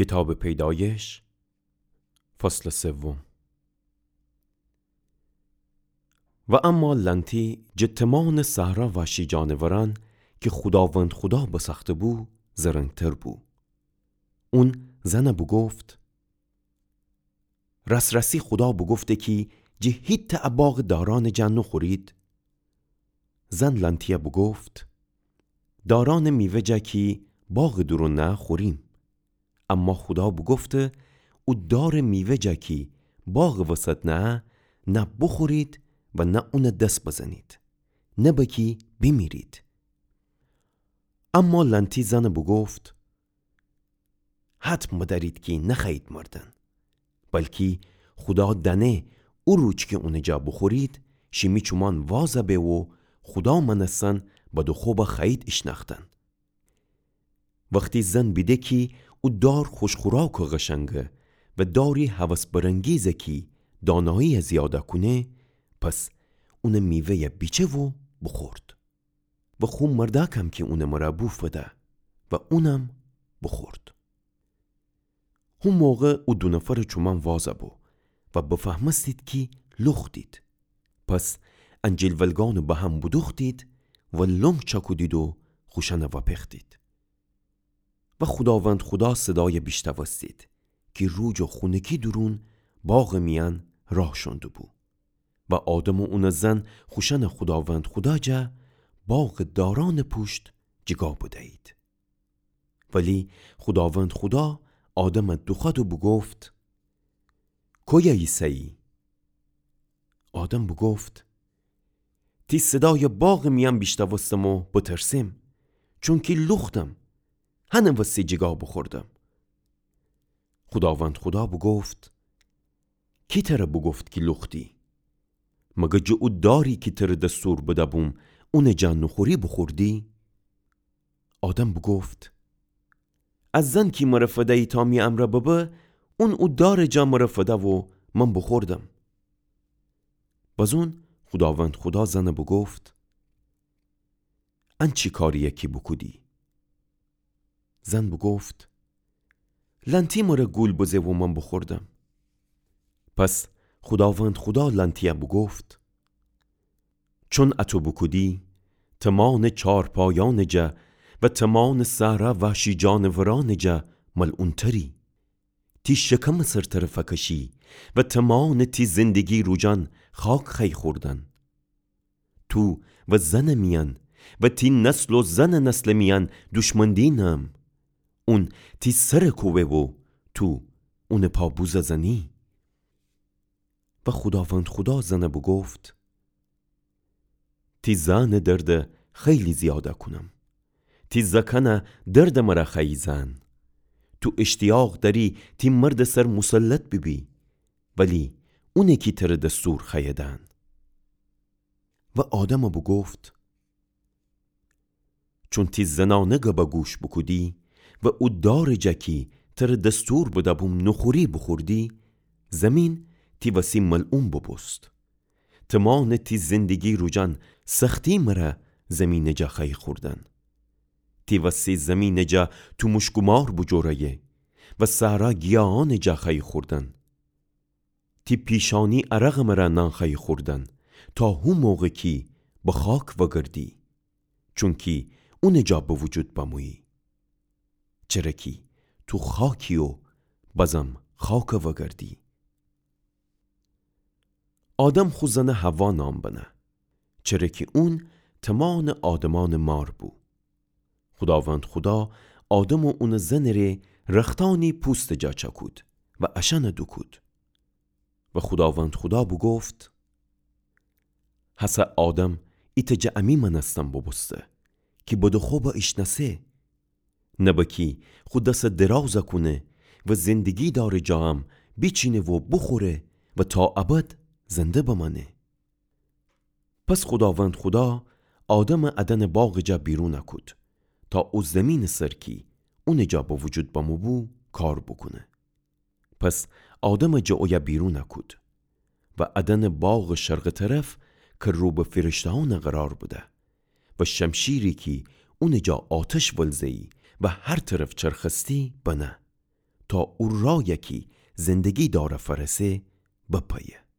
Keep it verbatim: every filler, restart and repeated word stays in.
کیتابٚ پیدایش، فصلٚ سوم. و اما لأنتی جٚه تمانٚ صحرا وحشی جانورأن کی خوداوند خودا بسأخته‌بو، زرنگتر بو. اون زن بوگفت: راس‌راسی خودا بوگفته کی جٚه هیتأ ا باغٚ دارأنٚ جا نوخورید؟ زن لأنتی بوگفت: دارأنٚ میوه جا کی باغٚ دورون نأه خوریم. اما خودا بوگفته او دارٚ میوه جا کی باغٚ وسط نأه، نه بوخورید و نه اون دس بزنید، نه بأکی بیمیرید. اما لأنتی زن بوگفت: حتم بدأرید کی نخوأیید مردن. بلکی خودا دأنه او روج کی اونٚ جا بوخورید، شیمی چومان واز به و خودا مأنستن بدٚ خو خوأیید ایشنأختن. وختی زن بیده کی او دار خوش‌خوراک و قشنگه و داری هوس برانگیزه کی دانایی زیاده کونه، پس اونٚ میوه‌یه بیچه و بوخورد. و خو مردأکم کی اونٚ مرأ بو فده و اونم بوخورد. هو موقع او دو نفرٚ چومان واز بو و بفهمستید کی لوختید. پس انجیل ولگأنٚ بهم بودوختید و لنگ چأکودید و خوشأن وأپختید. و خوداوند خودا صدای بیشتوستید کی روج و خونکی دورون باغٚ میأن راه شوندوبو. و آدم و اونٚ زن خوشأن خوداوند خودا جا باغٚ دارأنٚ پوشت جیگا بدیید. ولی خوداوند خودا آدم دوخوأد و بوگفت: کویه ایسه‌یی؟ آدم بوگفت: تی صدای باغٚ میأن بیشتوستم و بترسم، چونکی لوختم، هنٚ وسی جیگا بوخوردم. خوداوند خودا بوگفت: کی تر بوگفت کی لوختی؟ مگر جٚه او داری کی تر دستور بده‌بوم اونٚ جا نوخوری بوخوردی؟ آدم بوگفت: ا زن کی مر فدیی تا می امرأ ببه، اون او دارٚ جا مر فده و من بوخوردم. بزون خوداوند خودا زن بوگفت: ان چی کارییه کی بوکودی؟ زن بوگفت: لأنتی مر گول بزه و من بوخوردم. پس خوداوند خودا لأنتی بوگفت: چون اتو بوکودی، تمانٚ چارپایأنٚ جا و تمانٚ صحرا وحشی جانورأنٚ جا ملعونتری. تی شکمٚ سر تر فکشی و تمانٚ تی زندگی روجأن خاک خوأیی خوردن. تو و زنٚ میأن و تی نسل و زنٚ نسلٚ میأن دوشمندی نم. اون تی سر کوبه و تو اونٚ پا بوزه زنی. و خوداوند خودا زن بوگفت: تی زأنٚ درد خیلی زیاده کونم. تی زأکأنٚ درد مر خوأیی زأن. تو اشتیاق دأری تی مردٚ سر مسلط بیبی، ولی اونٚ کی تر دستور خوأیه دأن. و آدم بوگفت: چون تی زنأنٚ گب گوش بوکودی و او دارٚ جا کی تر دستور بده‌بوم نوخوری بوخوردی، زمین تی وسی ملعون بوبوست. تمانٚ تی زندگی روجأن سختی مر زمینٚ جا خوأیی خوردن. تی وسی زمینٚ جا توموشکٚ مار بوجوره‌یه و صحرا گیاهأنٚ جا خوأیی خوردن. تی پیشأنی عرقٚ مر نان خوأیی خوردن، تا هو موقع کی به خاک وأگردی، چونکی اونٚ جا به وجود بمویی. چره کی تو خاکی و بزم خاک وأگردی. آدم خو زن حوا نام بنه، چره کی اون تمانٚ آدمأنٚ مار بو. خوداوند خودا آدم و اونٚ زنٚ ره رختأنی پوستٚ جا چأکود و اشأن دوکود. و خوداوند خودا بوگفت: هسه آدم ایتأ جٚه امی مأنستن بوبوسته کی بدٚ خو به ایشنأسه. نبه کی خو دس دراز کونه و زندگی دارٚ جا ام بیچینه و بوخوره و تا ابد زنده بمأنه. پس خوداوند خودا آدم ا دأنٚ باغٚ جا بیرون کود، تا او زمینٚ سر کی اونٚ جا به وجود بمو بو کار بوکونه. پس آدم جٚه اویه بیرون کود و ا دأنٚ باغٚ شرقٚ طرف کی رو به فرشته‌أن قرار بده و شمشیری کی اونٚ جا آتش ولزه‌یی و هر طرف چرخستی بنه. تا او رأیَ کی زندگی دارَ فأرسه بپیه.